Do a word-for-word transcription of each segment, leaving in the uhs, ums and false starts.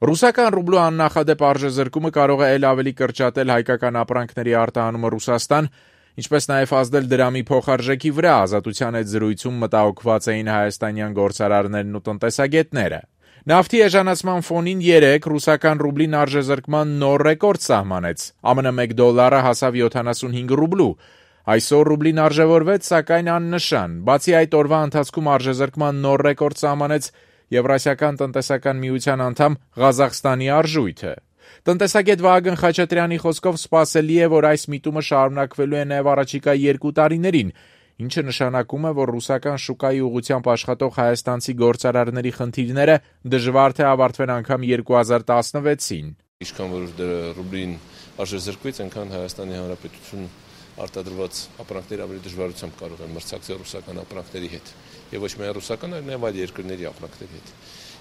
Ռուսական ռուբլու աննախադեպ արժեզրկումը կարող է ել ավելի կրճատել հայկական ապրանքների արտահանումը Ռուսաստան, ինչպես նաև ազդել դրամի փոխարժեքի վրա, Ազատության հետ զրույցում մտահոգված էին հայաստանյան գործարարներն ու տնտեսագետները։ Նավթի էժանացման ֆոնին երեկ ռուսական ռուբլին արժեզրկման նոր ռեկորդ սահմանեց։ ԱՄՆ մեկ դոլարը հասավ յոթանասունհինգ ռուբլու։ Այսօր ռուբլին արժևորվեց, սակայն աննշան։ Բացի այդ, օրվա ընթացքում արժեզրկման նոր ռեկորդ սահմանեց Եվրասիական տնտեսական միության անդամ Ղազախստանի արժույթը։ Տնտեսագետ Վահագն Խաչատրյանի խոսքով սպասելի է, որ այս միտումը շարունակվելու է նաև առաջիկա երկու տարիներին, ինչը նշանակում է, որ ռուսական շուկայի ուղղությամբ աշխատող հայաստանցի գործարարների խնդիրները դժվար թե ավարտվեն անգամ երկու հազար տասնվեցին։ Ինչքան որ ռուբլին արժեզրկվեց, այնքան Հայաստանի Հանրապետություն արտադրված ապրանքները ավելի դժվարությամբ կարող են մրցակցել ռուսական ապրանքների հետ։ Եվ ոչ միայն ռուսական, այլ նաև այլ երկրների ապրանքների հետ։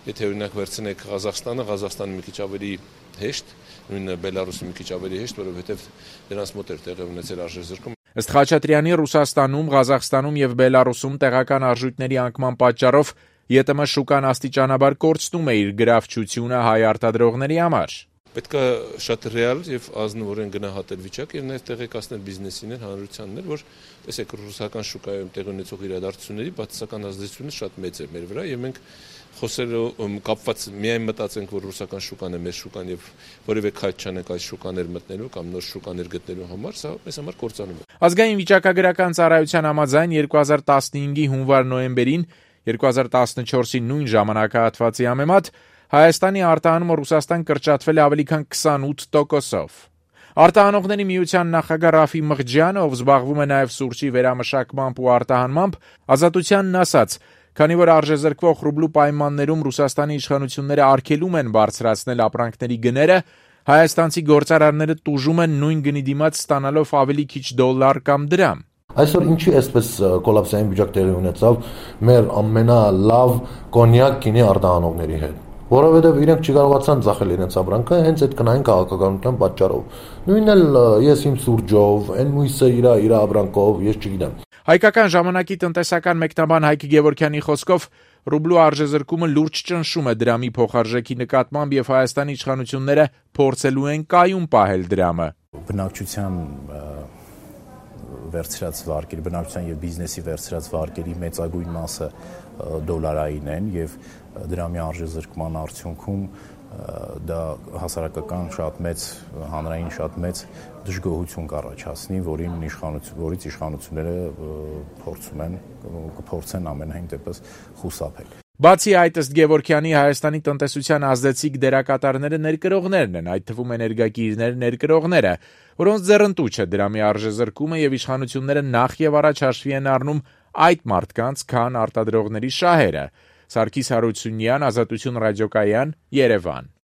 Եթե օրինակ վերցնեք Ղազախստանը, Ղազախստանը մի քիչ ավելի հեշտ, նույնը Բելարուսը մի քիչ ավելի հեշտ, որովհետև դրանց մոտ էր տեղի ունեցել արժեզրկում։ Ըստ Խաչատրյանի, Ռուսաստանում, Ղազախստանում եւ Բելարուսում տեղական արժույթների անկման պատճառով ԵՏՄ շուկան աստիճանաբար կորցնում է իր գրավչությունը հայ արտադրողների համար։ Պետք է շատ ռեալ եւ ազնվորեն գնահատել վիճակը եւ նաեւ տեղեկացնել բիզնեսիներ, հանրությաններ, որ տեսեք ռուսական շուկայում տեղի ունեցող իրադարձությունների բացասական ազդեցությունը շատ մեծ է մեր վրա եւ մենք խոսելով կապված միայն մտածենք, որ ռուսական շուկան է մեր շուկան եւ որևէ քայլ չանենք այս շուկաներ մտնելու կամ նոր շուկաներ գտնելու համար, սա մեզ համար կործանում է։ Ազգային վիճակագրական ծառայության համաձայն երկու հազար տասնհինգի հունվար-նոյեմբերին, երկու հազար տասնչորսի նույն ժամանակահատվածի համեմատ Հայաստանի արտահանումը Ռուսաստան կրճատվել է ավելի քան քսանութ տոկոսով։ Արտահանողների միության նախագահ Ռաֆի Մղջյանը, ով զբաղվում է նաև սուրճի վերամշակմամբ ու արտահանմամբ, Ազատությանն ասաց, քանի որ արժեզրկվող ռուբլու պայմաններում Ռուսաստանի իշխանությունները արգելում են բարձրացնել ապրանքների գները, հայաստանցի գործարարները տուժում են նույն գնի դիմաց ստանալով ավելի քիչ դոլար կամ դրամ։ Այսօր ինչի էսպես կոլապսային վիճակ տեղի ունեցավ մեր ամենալավ կոնյակ գինի արտահանողների հետ։ Որովհետև իրենք չկարողացան ծախել իրենց ապրանքը հենց այդ կնային քաղաքականության պատճառով։ Նույնն էլ ես իմ սուրճով, այն մույսը իր իր ապրանքով, ես չգիտեմ։ Հայկական ժամանակի տնտեսական մեկնաբան Հայկ Գևորգյանի խոսքով ռուբլու արժեզրկումը լուրջ ճնշում է դրամի փոխարժեքի նկատմամբ եւ Հայաստանի իշխանությունները փորձելու են կայուն պահել դրամը։ Բնակչության վերցրած վարկերի, բնակչության եւ բիզնեսի վերցրած վարկերի մեծագույն մասը դոլարային են եւ դրամի արժեզրկման արդյունքում դա հասարակական շատ մեծ, հանրային շատ մեծ դժգոհություն կառաջացնի, որին իշխանություն, որից իշխանությունները փորձում են, կփորձեն ամենայն դեպս խուսափել։ Բացի այդ, ըստ Գևորգյանի, Հայաստանի տնտեսության ազդեցիկ դերակատարները ներկրողներն են, այդ թվում էներգակիրներ ներկրողները, որոնց ձեռնտու չէ դրամի արժեզրկումը եւ իշխանությունները նախ եւ առաջ հաշվի են առնում այդ մարդկանց, քան արտադրողների շահերը։ Սարգիս Հարությունյան, Ազատություն ռադիոկայան, Երևան։